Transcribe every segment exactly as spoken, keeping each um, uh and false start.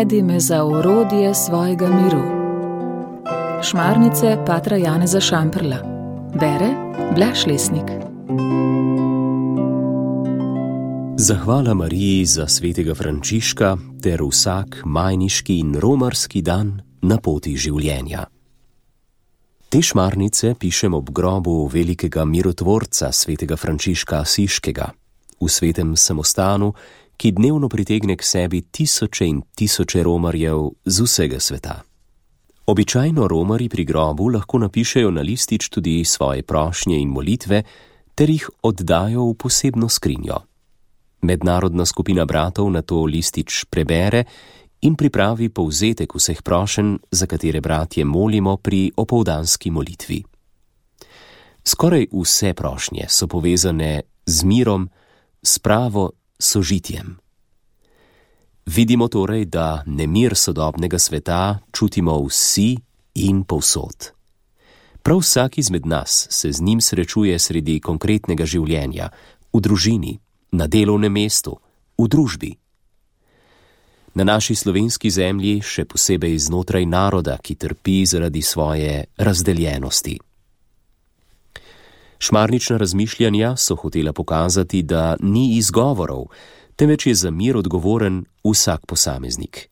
Navedi me za orodje svojega miru. Šmarnice patra Janeza Šamprla. Bere Blaž Lesnik. Zahvala Mariji za svetega Frančiška ter vsak majniški in romarski dan na poti življenja. Te šmarnice pišem ob grobu velikega mirotvorca svetega Frančiška Asiškega, v svetem samostanu, ki dnevno pritegne k sebi tisoče in tisoče romarjev z vsega sveta. Običajno romari pri grobu lahko napišejo na listič tudi svoje prošnje in molitve, ter jih oddajo v posebno skrinjo. Mednarodna skupina bratov na to listič prebere in pripravi povzetek vseh prošenj, za katere bratje molimo pri opoldanski molitvi. Skoraj vse prošnje so povezane z mirom, s pravo sožitjem. Vidimo torej, da nemir sodobnega sveta čutimo vsi in povsod. Prav vsak izmed nas se z njim srečuje sredi konkretnega življenja, v družini, na delovnem mestu, v družbi. Na naši slovenski zemlji še posebej znotraj naroda, ki trpi zaradi svoje razdeljenosti. Šmarnična razmišljanja so hotela pokazati, da ni izgovorov, temveč je za mir odgovoren vsak posameznik.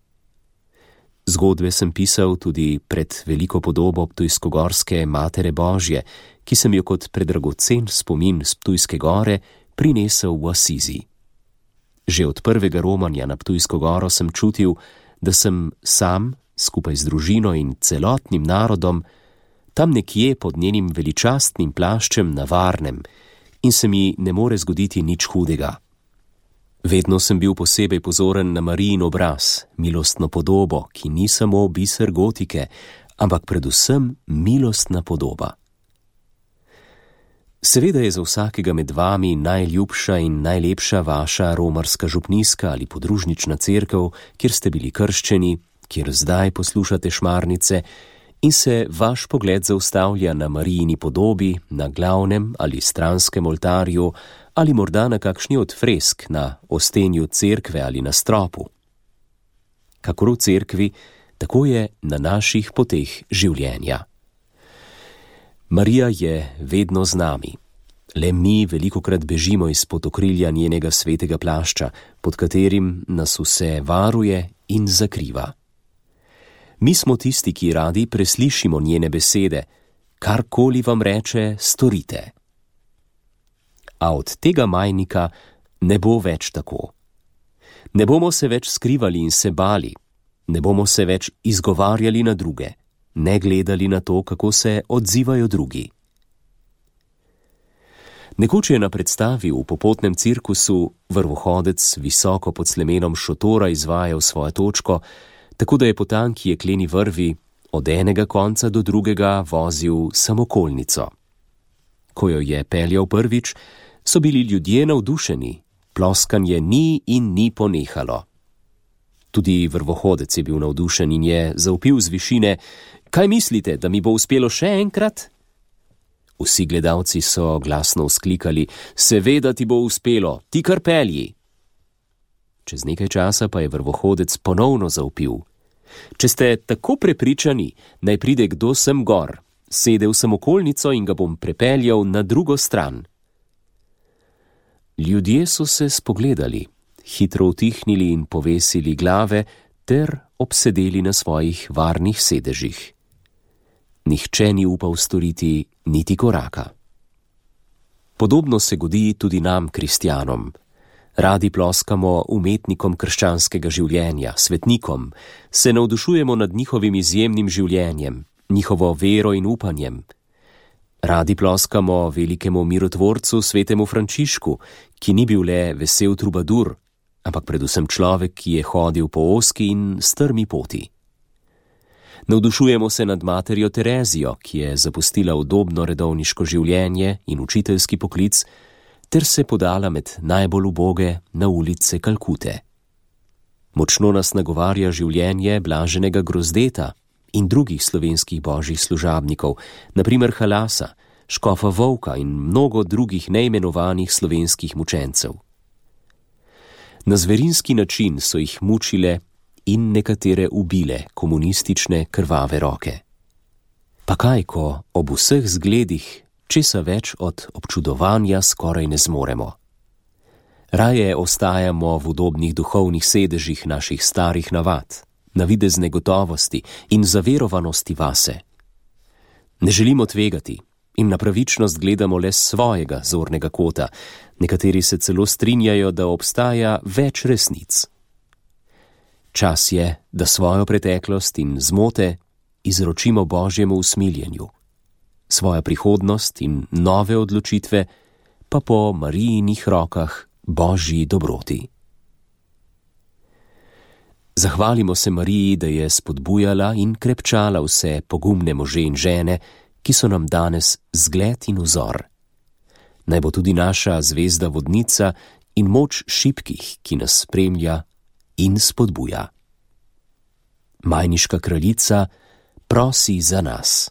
Zgodbe sem pisal tudi pred veliko podobo ptujskogorske Matere Božje, ki sem jo kot predragocen spomin z Ptujske gore prinesel v Asizi. Že od prvega romanja na Ptujsko goro sem čutil, da sem sam, skupaj z družino in celotnim narodom, tam nekje pod njenim veličastnim plaščem na varnem in se mi ne more zgoditi nič hudega. Vedno sem bil posebej pozoren na Marijin obraz, milostno podobo, ki ni samo biser gotike, ampak predvsem milostna podoba. Seveda je za vsakega med vami najljubša in najlepša vaša romarska župnijska ali podružnična cerkev, kjer ste bili krščeni, kjer zdaj poslušate šmarnice in se vaš pogled zaustavlja na Marijini podobi, na glavnem ali stranskem oltarju ali morda na kakšni od fresk na ostenju cerkve ali na stropu. Kakor v cerkvi, tako je na naših poteh življenja. Marija je vedno z nami. Le mi velikokrat bežimo izpod okrilja njenega svetega plašča, pod katerim nas vse varuje in zakriva. Mi smo tisti, ki radi preslišimo njene besede, karkoli vam reče, storite. A od tega majnika ne bo več tako. Ne bomo se več skrivali in se bali, ne bomo se več izgovarjali na druge, ne gledali na to, kako se odzivajo drugi. Nekoč je na predstavi v popotnem cirkusu vrvohodec visoko pod slemenom šotora izvajal svojo točko, tako da je po tanki jekleni vrvi od enega konca do drugega vozil samokolnico. Ko jo je peljal prvič, so bili ljudje navdušeni, ploskanje ni in ni ponehalo. Tudi vrvohodec je bil navdušen in je zavpil z višine: "Kaj mislite, da mi bo uspelo še enkrat?" Vsi gledalci so glasno vzklikali: "Seveda ti bo uspelo, ti kar pelji." Čez nekaj časa pa je vrvohodec ponovno zavpil: "Če ste tako prepričani, naj pride kdo sem gor, sede v samokolnico in ga bom prepeljal na drugo stran." Ljudje so se spogledali, hitro utihnili in povesili glave ter obsedeli na svojih varnih sedežih. Nihče ni upal storiti niti koraka. Podobno se godi tudi nam, kristjanom. Radi ploskamo umetnikom krščanskega življenja, svetnikom, se navdušujemo nad njihovim izjemnim življenjem, njihovo vero in upanjem. Radi ploskamo velikemu mirotvorcu svetemu Frančišku, ki ni bil le vesel trubadur, ampak predvsem človek, ki je hodil po ozki in strmi poti. Navdušujemo se nad materjo Terezijo, ki je zapustila udobno redovniško življenje in učiteljski poklic, ter se podala med najbolj uboge na ulice Kalkute. Močno nas nagovarja življenje blaženega Grozdeta in drugih slovenskih božjih služabnikov, na primer Halasa, škofa Volka in mnogo drugih neimenovanih slovenskih mučencev. Na zverinski način so jih mučile in nekatere ubile komunistične krvave roke. Pa kaj, ko ob vseh zgledih česa več od občudovanja skoraj ne zmoremo. Raje ostajamo v udobnih duhovnih sedežih naših starih navad, navidezne gotovosti in zaverovanosti vase. Ne želimo tvegati in na pravičnost gledamo le s svojega zornega kota, nekateri se celo strinjajo, da obstaja več resnic. Čas je, da svojo preteklost in zmote izročimo Božjemu usmiljenju, svoja prihodnost in nove odločitve pa po Marijinih rokah Božji dobroti. Zahvalimo se Mariji, da je spodbujala in krepčala vse pogumne može in žene, ki so nam danes zgled in vzor. Naj bo tudi naša zvezda vodnica in moč šibkih, ki nas spremlja in spodbuja. Majniška kraljica prosi za nas.